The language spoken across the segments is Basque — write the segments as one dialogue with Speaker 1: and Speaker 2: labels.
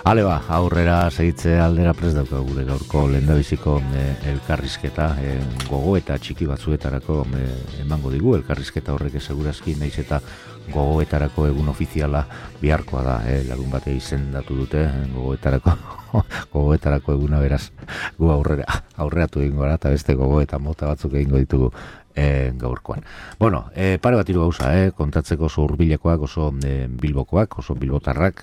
Speaker 1: Ale ba, aurrera segitze aldera prest dauka gure gaurko lehendabiziko elkarrizketa, gogoeta txiki batzuetarako emango digu, elkarrizketa horrek segurazki naiz eta gogoetarako egun ofiziala biharkoa da, lagun bate izendatu dute gogoetarako eguna beraz, gu aurreatu egingo gara, eta beste gogoeta mota batzuk egingo ditugu gaurkoan. Bueno, pare bat hiru gauza, kontatzeko oso hurbilekoak, oso bilbokoak, oso bilbotarrak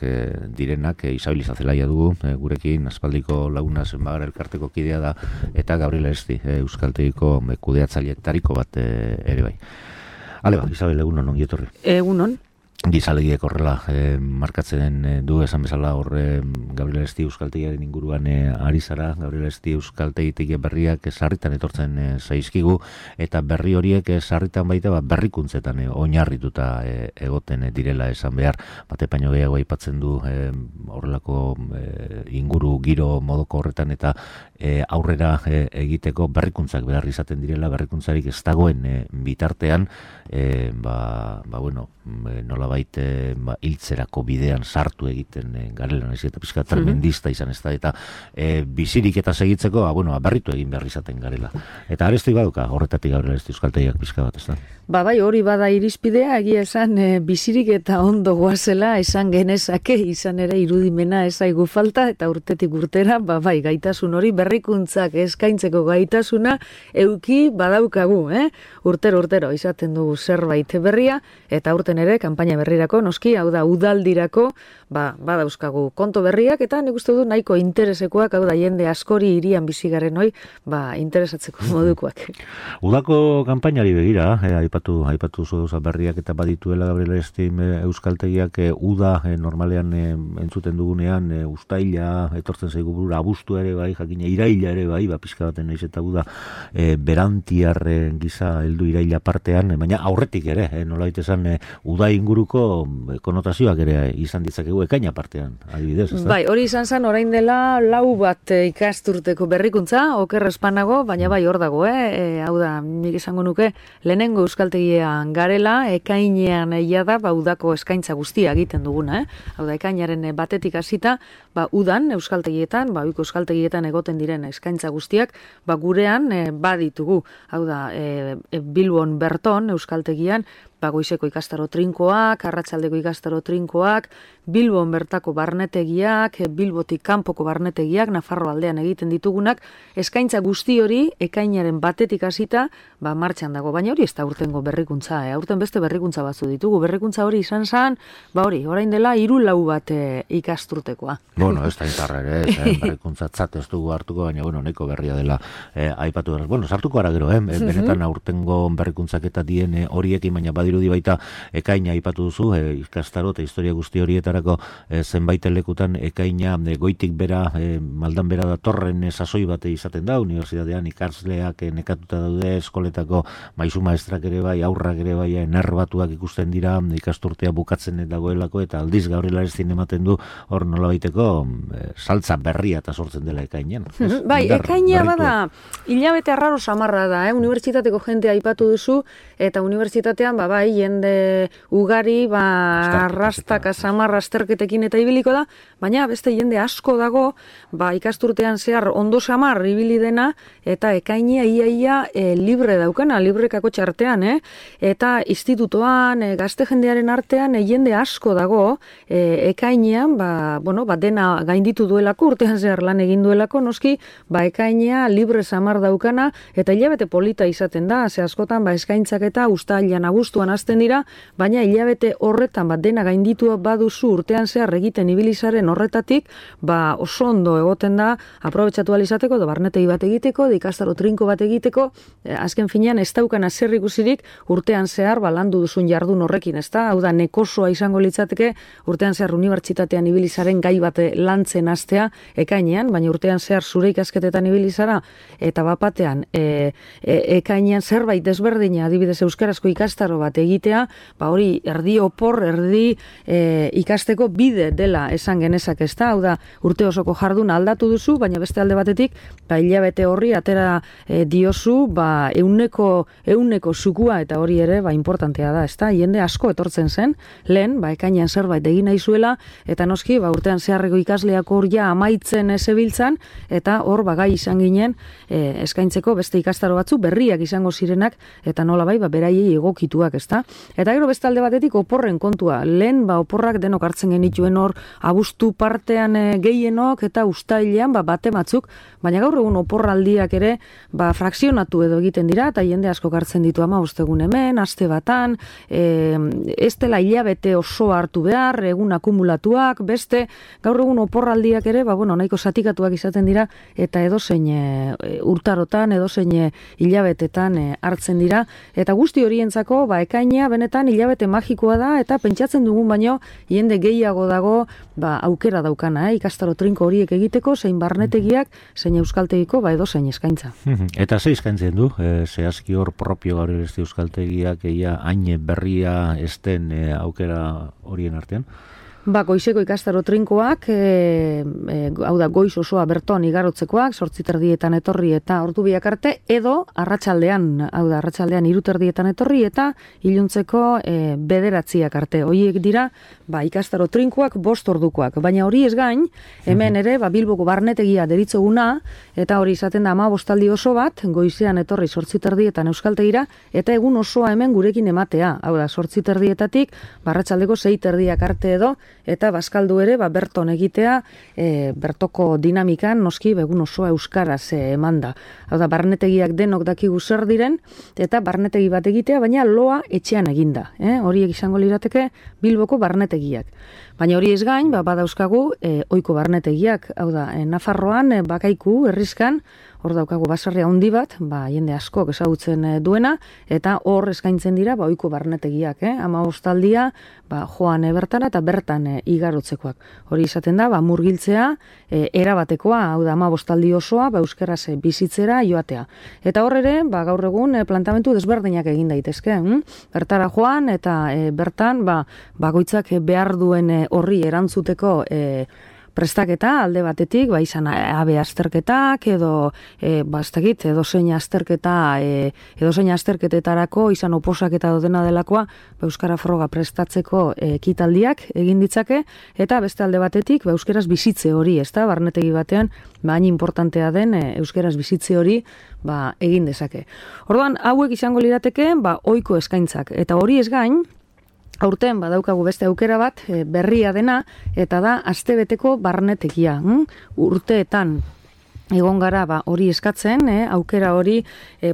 Speaker 1: direnak, Isabel Zelaia dugu, gurekin aspaldiko laguna zenbagar elkarteko kidea da, eta Gabriel Esti, euskaltegiko kudeatzailetariko bat ere bai. Ale ba, Isabel, egunon, ongi etorri.
Speaker 2: Egunon.
Speaker 1: Gizalegiek horrela markatzen du esan bezala horre Gabriel Esti euskaltegiaren inguruan ari zara. Gabriel Esti euskaltegitik berriak sarritan etortzen zaizkigu, eta berri horiek sarritan baita berrikuntzetan oinarrituta egoten direla esan behar. Bate paino gehiago aipatzen du horrelako inguru giro modoko horretan, eta aurrera egiteko berrikuntzak behar izaten direla, berrikuntzarik ez dagoen bitartean, nolabait hiltzerako bidean sartu egiten garela, naiz eta pizka tremendista izan ez da, eta bizirik eta segitzeko berritu egin behar izaten garela. Eta aresti baduka, horretatik Gabriel Esti euskaltegiak pizka bat, ez da?
Speaker 2: Bai, hori bada irizpidea, egia esan bizirik eta ondo goazela esan genezake, izan ere irudimena ez zaigu falta, eta urtetik urtera, gaitasun hori berrikuntzak eskaintzeko gaitasuna euki badaukagu, urtero izaten dugu zerbait berria, eta urten ere, kanpaina berrirako, noski, hau da, udaldirako, badauzkagu konto berriak, eta nik uste du nahiko interesekoak, hau da, jende askori hirian bizigaren hoi, interesatzeko modukoak.
Speaker 1: Udako kanpainari begira, aipatu zuen berriak eta badituela Gabriel Esti euskaltegiak, uda normalean entzuten dugunean, ustaila, etortzen zaigu burura, abuztua ere bai, jakina, iraila ere bai, pizka baten naiz eta uda berantiar gisa heldu iraila partean, baina aurretik ere, nolabait esan uda inguruko konotazioak ere izan ditzakegu ekaina partean, adibidez, ez da?
Speaker 2: Bai, hori izan zen orain dela 4 bat ikasturteko berrikuntza, oker espanago, baina bai hor dago, hau da, nik esango nuke, lehenengo euskaltegian garela, ekainean da, udako eskaintza guztia egiten duguna, hau da, ekainaren batetik hasita, udan euskaltegietan, uiko euskaltegietan egoten diren eskaintza guztiak, gurean baditugu, hau da, Bilbon berton euskaltegian, goizeko ikastaro trinkoak, arratsaldeko ikastaro trinkoak, Bilbon bertako barnetegiak, Bilbotik kanpoko barnetegiak, Nafarro aldean egiten ditugunak, eskaintza guzti hori ekainaren batetik hasita, martxan dago, baina hori ez da urtengo berrikuntza, aurten beste berrikuntza batzu ditugu, berrikuntza hori izan zen, orain dela 3-4 bat ikasturtekoa.
Speaker 1: Bueno, ez da intarra ere, berrikuntza tzat ez dugu hartuko, baina neko berria dela aipatu gara. Bueno, sartuko gara gero, benetan aurtengo berrikuntzak eta dien horiekin, baina badirudi baita ekaina aipatu duzu, ikastaro eta historia guzti horietarako zenbait lekutan ekaina goitik bera, maldan bera datorren sasoi bate izaten da, unibertsitatean ikasleak nekatuta daude, eskoletako maisu maestrak ere bai, aurrak ere bai, enerbatuak ikusten dira, ikasturtea bukatzen dagoelako, eta aldiz Gabriel Esti ematen du hor nolabaiteko saltza berria eta sortzen dela ekainean.
Speaker 2: Bai, ekaina bada, hilabete arraro samarra da, unibertsitateko jente aipatu duzu, eta unibertsitatean, jende ugari, arrastaka samarra azterketekin eta ibiliko da, baina beste jende asko dago, ikasturtean zehar ondo samar ibili dena, eta ekainia ia libre daukana, librekako txartean, eta institutoan, gazte jendearen artean, jende asko dago, ekainean, dena gainditu duelako, urtean zehar lan egin duelako, noski, ekainia libre samar daukana, eta hilabete polita izaten da, ze askotan, eskaintzak eta uztailean abuztuan hasten dira, baina hilabete horretan dena gainditua baduzu urtean zehar egiten ibilizaren horretatik, oso ondo egoten da, aprobetxatu alizateko, barnetegi bat egiteko, ikastaro trinko bat egiteko, azken finean ez daukan zer ikusirik urtean zehar landu duzun jardun horrekin, ez da? Hau da, nekosoa izango litzateke urtean zehar unibertsitatean ibilizaren gai bat lantzen hastea ekainean, baina urtean zehar zure ikasketetan ibilizara, eta bapatean ekainean zerbait adibidez euskarazko ikastaro bat egitea, hori erdi opor, erdi ikasteko bide dela esan genezak, ezta? Hau da, urte osoko jarduna aldatu duzu, baina beste alde batetik, hilabete horri atera diozu, euneko zukua, eta hori ere, importantea da, ezta? Jende asko etortzen zen, lehen, ekainean zerbait egin nahi zuela, eta noski, urtean zeharreko ikasleak hor ja amaitzen zebiltzan, eta hor gai izan ginen eskaintzeko beste ikastaro batzu berriak izango zirenak, eta nola beraiei egokituak, ezta? Eta gero beste alde batetik oporren kontua, lehen oporrak denok hartzen genituen hor abuztu partean gehienok eta ustailean bate batzuk, baina gaur egun oporraldiak ere frakzionatu edo egiten dira, eta jende asko hartzen ditu 15 egun hemen, aste batan, ez dela hilabete oso hartu behar, egun akumulatuak, beste, gaur egun oporraldiak ere, nahiko zatikatuak izaten dira, eta edozein urtarotan, edozein hilabetetan hartzen dira, eta guzti horientzako, ekainea benetan hilabete magikoa da, eta pentsatzen dugun baino, jende gehiago dago, aukera daukana, ikastaro trinko horiek egiteko, zein barnetegiak, zein euskaltegiko, edozein eskaintza.
Speaker 1: Eta ze eskaintzen du, zehazki hor propio gaur ez euskaltegiak, hain berria esten aukera horien artean?
Speaker 2: Goizeko ikastaro trinkoak, hau da, goiz osoa berton igarotzekoak, 8:30 etorri eta ordu biak arte, edo arratsaldean, hau da, arratsaldean 3:30 etorri eta iluntzeko 9:00 arte. Horiek dira, ikastaro trinkoak 5 ordukoak. Baina hori ez gain, hemen ere, Bilboko barnetegia deritzoguna, eta hori izaten da 15 aldi oso bat, goizean etorri 8:30 euskaltegira, eta egun osoa hemen gurekin ematea. Hau da, 8:30 arratsaldeko 6:30 arte edo, eta bazkaldu ere, berton egitea, bertoko dinamikan, noski, egun osoa euskaraz eman da. Hau da, barnetegiak denok dakigu zer diren, eta barnetegi bat egitea, baina loa etxean eginda. Horiek izango lirateke Bilboko barnetegiak. Baina hori ez gain, badauzkagu ohiko barnetegiak, hau da, Nafarroan, Bakaiku, Herrizkan, hor daukagu basarria handi bat, jende asko ezagutzen duena, eta hor eskaintzen dira ohiko barnetegiak, 15 aldia, joan bertara eta bertan igarotzekoak. Hori izaten da, murgiltzea erabatekoa, hau da 15 aldi osoa, euskeraz bizitzera joatea. Eta hor ere, gaur egun plantamentu desberdinak egin daitezke. Bertara joan, eta bertan, bakoitzak behar duen horri erantzuteko prestaketa alde batetik, izan AB azterketak edo edozein azterketetarako izan oposaketa dena delakoa, euskara froga prestatzeko ekitaldiak egin ditzake, eta beste alde batetik euskeraz bizitze hori, ezta, barnetegi batean, hain importantea den euskeraz bizitze hori egin dezake. Orduan, hauek izango lirateke, ohiko eskaintzak, eta hori ez gain, aurten badaukagu beste aukera bat, berria dena, eta da astebeteko barnetegia. Urteetan egon gara hori eskatzen, aukera hori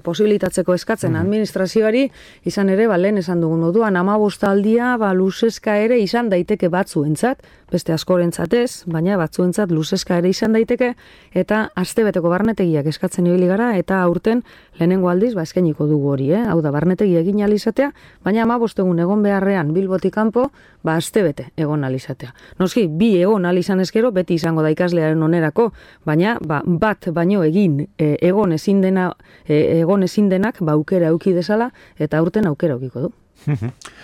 Speaker 2: posibilitatzeko eskatzen administrazioari, izan ere, lehen esan dugun moduan, 15 aldia luzeska ere izan daiteke batzuentzat, beste askorentzat ez, baina batzuentzat luzeska ere izan daiteke, eta astebeteko barnetegiak eskatzen ibili gara, eta aurten lehenengo aldiz eskainiko dugu hori, hau da, barnetegia egin alizatea, baina 15 egun egon beharrean Bilbotik kanpo, astebete egon alizatea. Noski, 2 egon alizan eskero, beti izango da ikaslearen onerako, baina bat baino egon ezin denak aukera auki dezala, eta aurten aukera aukiko du.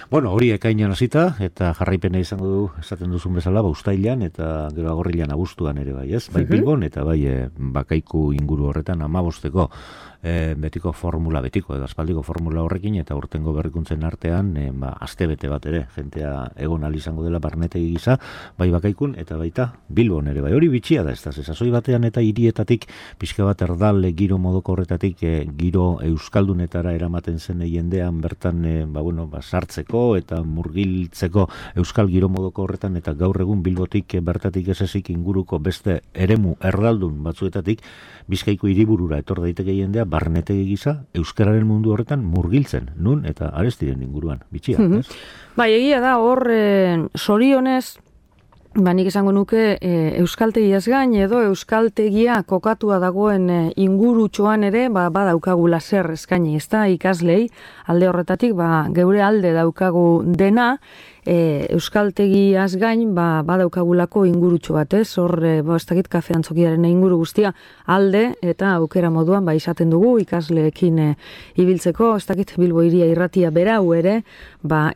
Speaker 1: Bueno, hori ekainean hasita, eta jarraipena izango du, esaten duzun bezala, ustailean, eta gero agorrilean abuztuan ere bai, ez? Bai Bilbon, eta bai Bakaiku inguru horretan 15eko betiko formula, edo aspaldiko formula horrekin, eta urtengo berrikuntzen artean, astebete bat ere, jentea egon izango dela barnetegi gisa, bai Bakaikun, eta baita Bilbon ere bai. Hori bitxia da, ez da, sasoi batean eta hirietatik, pixka bat erdal, giro modoko horretatik, giro euskaldunetara eramaten zen jendean bertan, sartzeko eta murgiltzeko euskal giro modoko horretan, eta gaur egun Bilbotik bertatik ezezik inguruko beste eremu erdaldun batzuetatik Bizkaiko hiriburura etor daiteke jendea barnetegi gisa euskararen mundu horretan murgiltzen, nun eta Arestiren inguruan, bitxia, ez?
Speaker 2: Egia da, hor sorionez, nik esango nuke euskaltegiaz gain edo euskaltegia kokatua dagoen ingurutxoan ere badaukagula zer eskaini, ez da, ikaslei alde horretatik geure alde daukagu dena, euskaltegiaz gain, badaukagulako ingurutxo bat, ez? Hor, ez dakit kafe antzokiaren inguru guztia alde eta aukera moduan izaten dugu ikasleekin ibiltzeko, ez dakit Bilbo Hiria Irratia berau ere,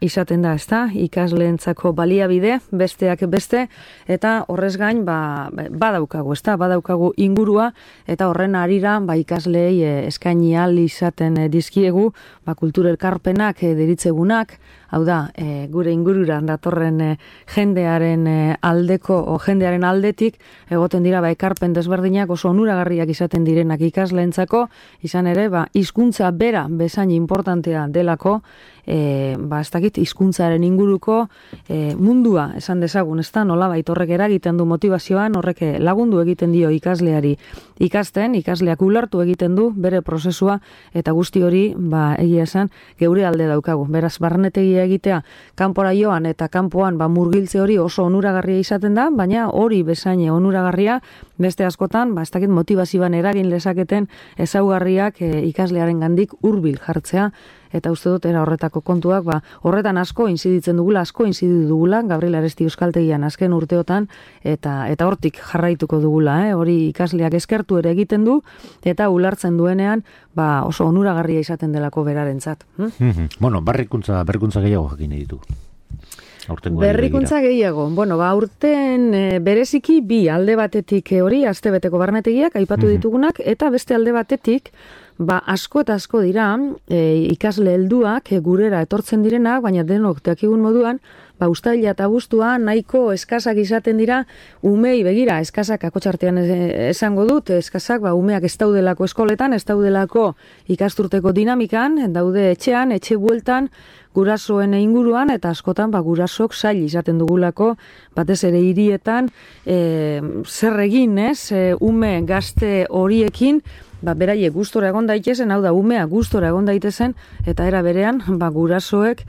Speaker 2: izaten da, ez da, ikasleentzako baliabide, besteak beste, eta horrez gain, badaukagu, ez da, badaukagu ingurua, eta horren arira, ikasleei eskaini ahal izaten dizkiegu, kultur elkarpenak deritzegunak, hau da, gure ingururan datorren jendearen aldeko, o jendearen aldetik, egoten dira ekarpen desberdinak oso onuragarriak izaten direnak ikasleentzako, izan ere, hizkuntza bera bezain importantea delako, ez dakit, hizkuntzaren inguruko mundua esan dezagun, ez da, nolabait horrek eragiten du motivazioan, horrek lagundu egiten dio ikasleari ikasten, ikasleak ulertu egiten du bere prozesua, eta guzti hori, egia esan, geure alde daukagu. Beraz, barnetegia egitea kanpora joan eta kanpoan murgiltze hori oso onuragarria izaten da, baina hori bezain onuragarria beste askotan, ez dakit motivazioan eragin lezaketen ezaugarriak ikaslearen gandik hurbil jartzea, eta uste dut era horretako kontuak, horretan asko inziditzen dugula, asko inziditu dugula, Gabriel Aresti Euskaltegian azken urteotan, eta hortik jarraituko dugula, hori ikasleak eskertu ere egiten du, eta ulartzen duenean, oso onuragarria izaten delako berarentzat.
Speaker 1: Bueno, berrikuntza gehiago jakin ditu.
Speaker 2: Berrikuntza gehiago. Aurten bereziki bi alde batetik hori, astebeteko barnetegiak aipatu ditugunak, eta beste alde batetik, asko eta asko dira ikasle helduak gurera etortzen direnak, baina denok dakigun moduan, uztaila eta abuztua nahiko eskasak izaten dira, umei begira, eskasak akotxartean esango dut, eskasak umeak ez daudelako eskoletan, ez daudelako ikasturteko dinamikan, daude etxean, etxe bueltan, gurasoen inguruan, eta askotan gurasok zail izaten dugulako, batez ere hirietan, zer egin, ume gazte horiekin, beraiek gustora egon daitezen, hau da, umea gustora egon daitezen, eta era berean, gurasoek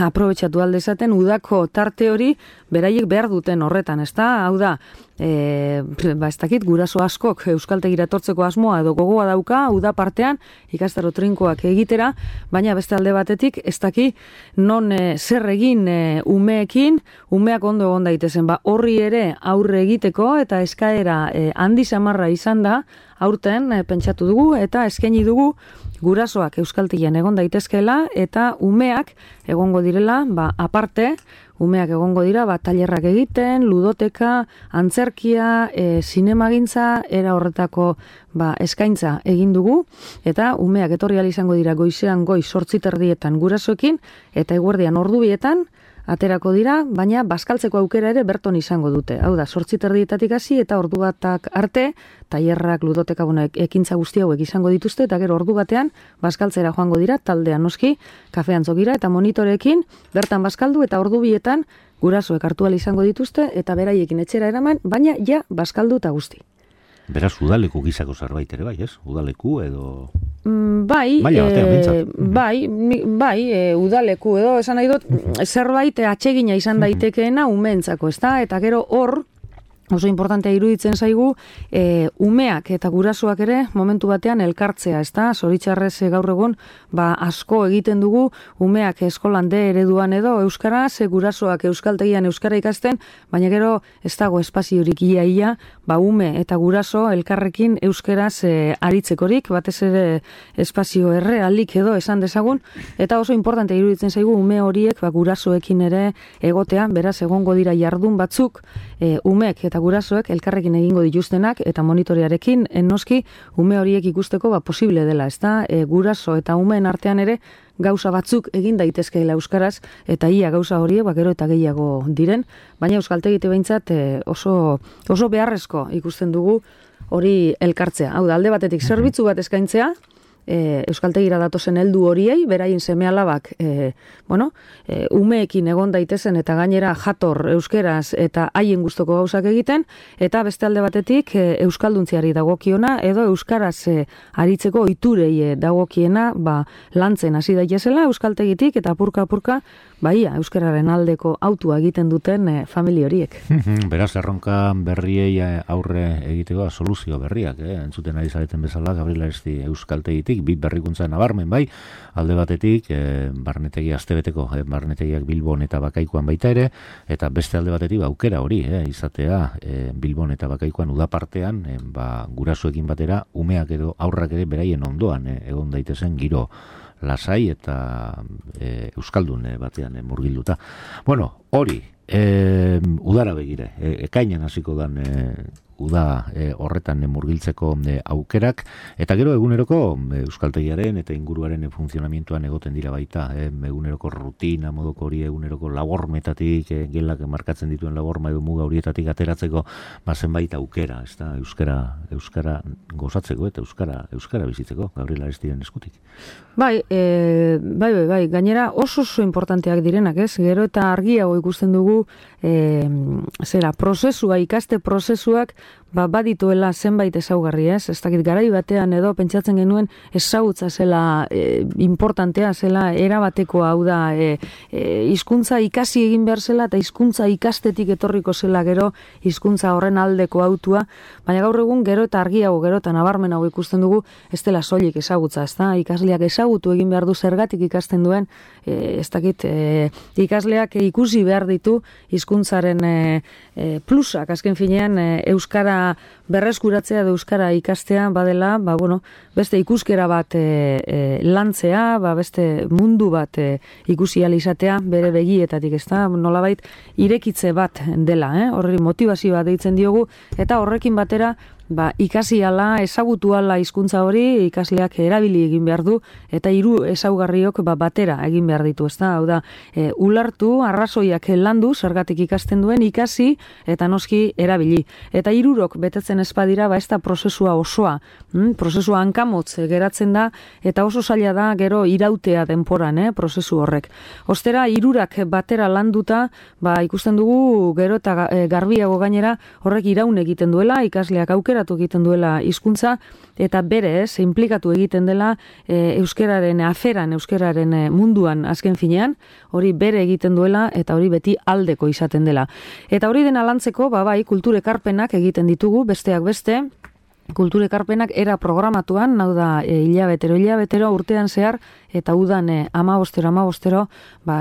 Speaker 2: aprobetxatu aldezaten udako tarte hori beraiek behar duten horretan, ez da? Hau da, ez dakit, guraso askok euskaltegira etortzeko asmoa edo gogoa dauka, uda partean, ikastaro trinkoak egitera, baina beste alde batetik, ez daki, non zer egin umeekin, umeak ondo egon daitezen, horri ere aurre egiteko, eta eskaera handi samarra izan da, aurten pentsatu dugu eta eskaini dugu gurasoak euskaltegian egon daitezkeela eta umeak egongo direla, aparte, umeak egongo dira, tailerrak egiten, ludoteka, antzerkia, zinemagintza, era horretako eskaintza egin dugu, eta umeak etorri ahal izango dira goizean goiz 8:30 gurasoekin, eta eguerdian ordubietan, aterako dira, baina bazkaltzeko aukera ere berton izango dute. Hau da, 8:30 hasi eta ordu batak arte, tailerrak, ludoteka, ekintza guzti hauek izango dituzte, eta gero ordu batean bazkaltzera joango dira, taldean noski, kafe antzokira, eta monitorekin, bertan bazkaldu, eta ordu bietan gurasoek hartu ahal izango dituzte, eta beraiekin etxera eraman, baina ja bazkaldu eta guzti.
Speaker 1: Beraz, udaleku gizako zerbait ere, ez? Udaleku edo...
Speaker 2: Bai, udaleku edo, esan nahi dut, zerbait atsegina izan daitekeena umeentzako, ez da? Eta gero hor, oso importantea iruditzen zaigu, umeak eta gurasoak ere momentu batean elkartzea, ez da? Zoritxarrez gaur egun, asko egiten dugu, umeak eskolan D ereduan edo euskaraz, gurasoak euskaltegian euskara ikasten, baina gero ez dago espaziorik ia, ume eta guraso elkarrekin euskaraz aritzekorik, batez ere espazio errealik edo esan dezagun, eta oso importantea iruditzen zaigu ume horiek gurasoekin ere egotea, beraz egongo dira jardun batzuk, umeek eta gurasoek elkarrekin egingo dituztenak eta monitorearekin noski ume horiek ikusteko posible dela, ezta? Guraso eta umeen artean ere gauza batzuk egin daitezkeela euskaraz eta ia gauza horiek gero eta gehiago diren, baina euskaltegite behintzat oso beharrezko ikusten dugu hori elkartzea. Hau da, alde batetik zerbitzu bat eskaintzea, euskaltegira datozen heldu horiei, beraien seme-alabak umeekin egon daitezen eta gainera jator euskeraz eta haien gustoko gauzak egiten, eta beste alde batetik euskalduntziari dagokiona edo euskaraz aritzeko ohiturei dagokiena lantzen hasi daitezela euskaltegitik eta apurka euskararen aldeko autua egiten duten familia horiek.
Speaker 1: Beraz, erronka berriei aurre egiteko soluzio berriak, entzuten ari zareten bezala, Gabriel Aresti euskaltegitik. batetik, bi berrikuntza nabarmen bai, alde batetik, barnetegi astebeteko, barnetegiak Bilbon eta Bakaikoan baita ere, eta beste alde batetik aukera hori, izatea Bilbon eta Bakaikoan udapartean, gurasoekin batera, umeak edo aurrak ere beraien ondoan egon daitezen giro lasai eta euskaldun batean murgilduta. Bueno, hori, udara begire, ekainan hasiko dan uda horretan murgiltzeko aukerak, eta gero eguneroko euskaltegiaren eta inguruaren funtzionamientuan egoten dira baita, eguneroko rutina modoko hori, eguneroko labormetatik, gelak markatzen dituen laborma edo muga horietatik ateratzeko, zenbait aukera, ez da, euskara gozatzeko eta euskara bizitzeko, Gabriela Aristiren eskutik.
Speaker 2: Bai, gainera oso importanteak direnak, ez? Gero eta argiago ikusten dugu ikaste prozesuak badituela zenbait ezaugarri, ez? Ez dakit garai batean edo pentsatzen genuen ezagutza zela importantea zela erabatekoa, hau da hizkuntza ikasi egin behar zela eta hizkuntza ikastetik etorriko zela gero hizkuntza horren aldeko autua, baina gaur egun gero eta argiago, gero eta nabarmenago ikusten dugu ez dela soilik ezagutza, ez da? Ikasleak ezagutu egin behar du zergatik ikasten duen, ez dakit ikasleak ikusi behar ditu hizkuntzaren plusak, azken finean euskara berreskuratzea edo euskara ikastea badela, beste ikuskera bat lantzea, beste mundu bat ikusi ahal izatea bere begietatik, ezta? Nolabait irekitze bat dela, horri motivazioa deitzen diogu, eta horrekin batera ikasi ala, ezagutu ala hizkuntza hori ikasleak erabili egin behar du, eta hiru ezaugarriok batera egin behar ditu, ezta? Hau da, ulertu, arrazoiak landu, zergatik ikasten duen, ikasi, eta noski erabili. Eta hirurok betetzen ez badira, ez da prozesua osoa, prozesua hankamotz geratzen da, eta oso zaila da gero irautea denporan, prozesu horrek. Ostera, hirurak batera landuta, ikusten dugu gero eta garbiago gainera horrek iraun egiten duela, ikasleak aukera egiten duela hizkuntza eta berez inplikatu egiten dela euskararen aferan, euskararen munduan azken finean, hori bere egiten duela eta hori beti aldeko izaten dela. Eta hori dena lantzeko, kulturekarpenak egiten ditugu, besteak beste, kulturekarpenak era programatuan, hau da hilabetero urtean zehar, eta udan 15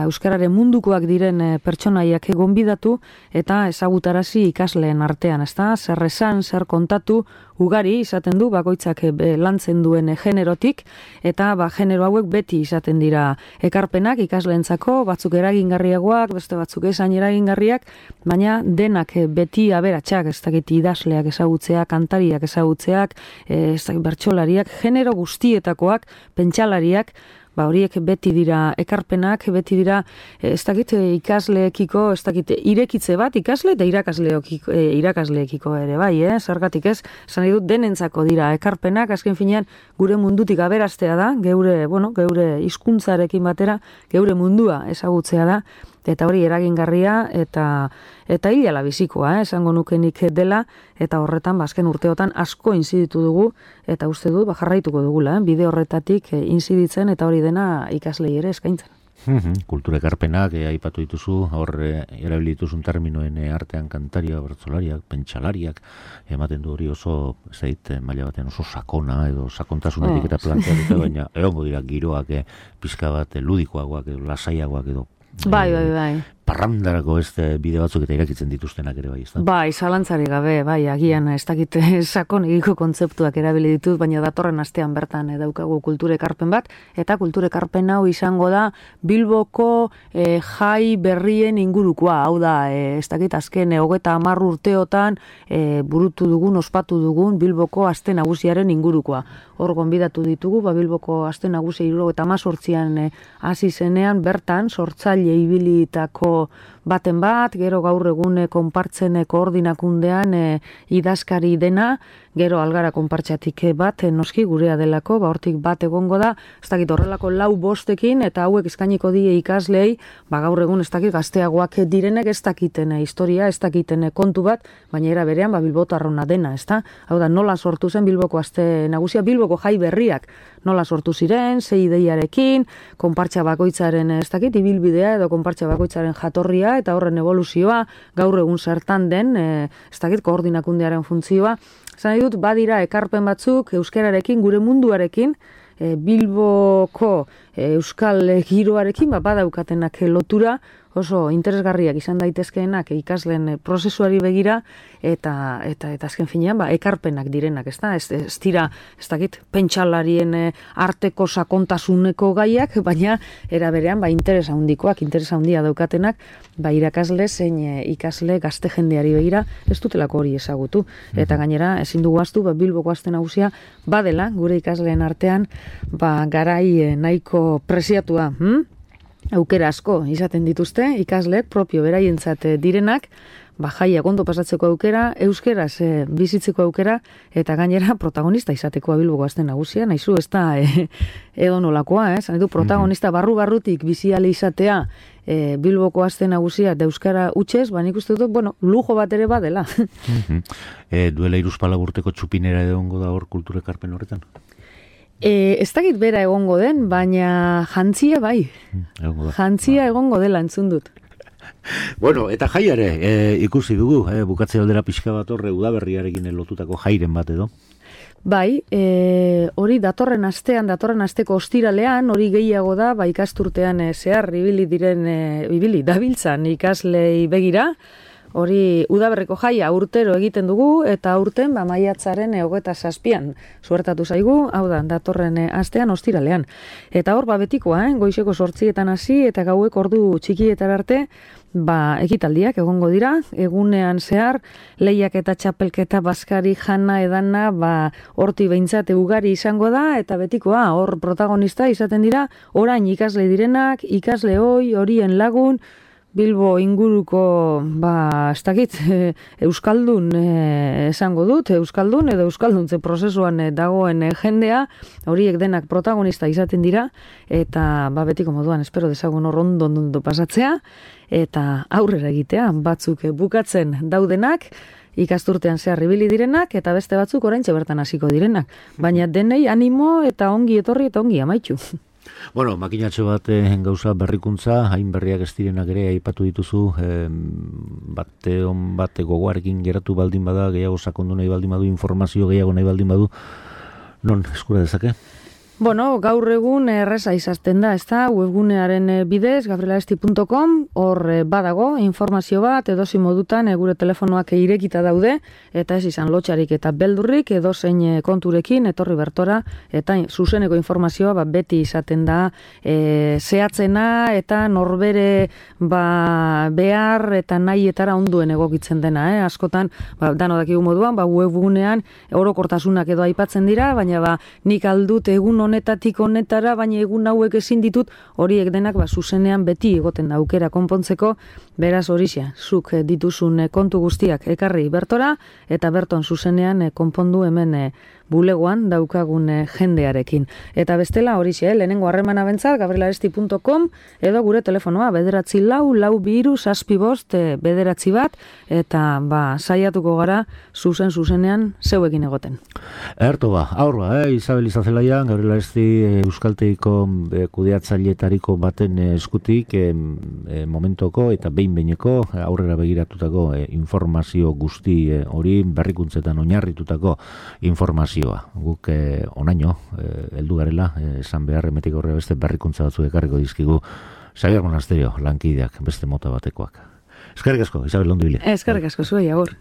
Speaker 2: euskararen mundukoak diren pertsonaiak gonbidatu eta ezagutarazi ikasleen artean, ezta? Zer esan, zer kontatu, ugari izaten du bakoitzak lantzen duen generotik, eta genero hauek beti izaten dira ekarpenak ikasleentzako, batzuk eragingarriagoak, beste batzuk esain eragingarriak, baina denak beti aberatsak, ez dakit idazleak ezagutzea, kantariak ezagutzeak, ez dakit bertsolariak, genero guztietakoak, pentsalariak, horiek beti dira ekarpenak, beti dira, ez dakit ikasleekiko, ez dakit irekitze bat ikasle eta irakasleekiko ere, zergatik ez, esan dut denentzako dira ekarpenak, azken finean gure mundutik aberastea da, geure hizkuntzarekin batera, geure mundua ezagutzea da, eta hori eragingarria eta hilala bizikoa, esango nukenik dela, eta horretan azken urteotan asko inziditu dugu, eta uste dut jarraituko dugula, bide horretatik inziditzen, eta hori dena ikaslei ere eskaintzen.
Speaker 1: Kulturekarpenak aipatu dituzu, hor erabili dituzun terminoen artean kantaria, bertsolariak, pentsalariak, ematen du hori oso, maila batean oso sakona, edo sakontasunetik eta planteatuta, baina egongo dira giroak, pizka bat ludikoagoak, edo lasaiagoak, edo
Speaker 2: Bai.
Speaker 1: Parrandarako bide batzuk eta irakitzen dituztenak ere bai, ez da?
Speaker 2: Bai, zalantzari gabe, agian ez dakit sakon egiko kontzeptuak erabili ditut, baina datorren astean bertan daukagu kulturekarpen bat, eta kulturekarpen hau izango da Bilboko jai berrien ingurukoa, hau da, ez dakit azken 30 urteotan burutu dugun, ospatu dugun Bilboko aste nagusiaren ingurukoa. Hor gonbidatu ditugu, Bilboko aste nagusia 78an hasi zenean bertan sortzaile ibilitako baten bat, gero gaur egun konpartzen koordinakundean idazkari dena, gero Algara konpartxatik bat, noski gurea delako, hortik bat egongo da, ez dakit horrelako 4-5 eta hauek eskainiko die ikaslei, gaur egun ez dakit gazteagoak direnek ez dakiten historia, ez dakiten kontu bat, baina era berean bilbotarrona dena, ez da? Hau da, nola sortu zen Bilboko aste nagusia, Bilboko jai berriak, nola sortu ziren, ze ideiarekin, konpartxa bakoitzaren ez dakit, ibilbidea edo konpartxa bakoitzaren jatorria eta horren evoluzioa, gaur egun zertan den, ez dakit, koordinakundearen funtzioa. Zan dut, badira ekarpen batzuk euskararekin, gure munduarekin, Bilboko euskal giroarekin badaukatenak lotura, oso interesgarriak izan daitezkeenak ikasleen prozesuari begira eta azken finean ekarpenak direnak, ezta? Ez dira, ez dakit, pentsalarien arteko sakontasuneko gaiak, baina era berean interesa handikoak, interesa handia daukatenak, irakasle zein ikasle gazte jendeari begira ez dutelako hori ezagutu. Eta gainera ezin dugu ahaztu Bilboko Aste Nagusia badela gure ikasleen artean garai nahiko preziatua, aukera asko izaten dituzte, ikasleek propio beraientzat direnak, jaiak ondo pasatzeko aukera, euskeraz bizitzeko aukera, eta gainera protagonista izateko Bilboko Aste Nagusia, nahizu ez da edonolakoa, protagonista barru-barrutik biziale izatea Bilboko Aste Nagusia da euskara utxez, nik uste dut, lujo bat ere badela.
Speaker 1: Duela 3 urteko txupinera egongo da hor kultura ekarpen horretan?
Speaker 2: Ez dakit bera egongo den, baina jantzia bai. Jantzia egongo dela entzun dut.
Speaker 1: Bueno, eta jaiare ikusi dugu, bukatze aldera pixka bat horre udaberriarekin lotutako jairen bat edo?
Speaker 2: Bai, hori datorren asteko ostiralean, hori gehiago da, ikasturtean zehar ibili dabiltzan ikaslei begira, hori udaberriko jaia urtero egiten dugu, eta aurten maiatzaren 27an suertatu zaigu, hau da, datorren astean ostiralean. Eta hor, betikoa, goizeko 8etan hasi, eta gauek ordu txikietar arte, ekitaldiak egongo dira, egunean zehar, lehiak eta txapelketa bazkari jana edana, horti behintzate ugari izango da, eta betikoa, hor protagonista izaten dira, orain ikasle direnak, ikasle horien lagun, Bilbo inguruko, ez dakit, euskaldun esango dut, euskaldun edo euskalduntze prozesuan dagoen jendea, horiek denak protagonista izaten dira, eta betiko moduan espero dezagun hor ondo pasatzea, eta aurrera egitea, batzuk bukatzen daudenak, ikasturtean zehar ibili direnak, eta beste batzuk oraintxe bertan hasiko direnak, baina denei animo eta ongi etorri eta ongi amaitxu.
Speaker 1: Bueno, makinatxo bat gauza berrikuntza, hain berriak ez direnak ere aipatu dituzu, bate gogoarekin geratu baldin bada, gehiago sakondu nahi baldin badu, informazio gehiago nahi baldin badu, non eskura dezake?
Speaker 2: Bueno, gaur egun erreza izaten da, ezta, webgunearen bidez, gabrielaesti.com, hor badago, informazio bat, edozi modutan, gure telefonoak irekita daude, eta ez izan lotxarik eta beldurrik, edozein konturekin, etorri bertora, eta zuzeneko informazioa beti izaten da, zehatzena, eta norbere behar, eta nahietara onduen egokitzen dena, askotan, dano dakigu moduan, webgunean, orokortasunak edo aipatzen dira, baina nik aldut egun honetatik honetara, baina egun hauek ezin ditut, horiek denak zuzenean beti egoten da aukera konpontzeko, beraz horixe, zuk dituzun kontu guztiak ekarri bertora, eta berton zuzenean konpondu hemen bulegoan daukagun jendearekin. Eta bestela horixe, lehenengo harremana bentzat, gabrielaesti.com, edo gure telefonoa, 944-475-991, eta saiatuko gara zuzenean zeuekin egoten.
Speaker 1: Erto aurra, Isabel Izazelaia, Gabriela Esti Euskaltegiko kudeatzailetariko baten eskutik momentoko eta behin-behineko aurrera begiratutako informazio guzti hori berrikuntzetan oinarritutako informazioa. Guk onaino, heldu garela, esan behar emetik horre beste berrikuntza batzu ekarriko dizkigu Xabier Monasterio lankideak beste mota batekoak. Eskerrik asko, Isabel, ondo bile.
Speaker 2: Eskerrik asko, zuei, agur.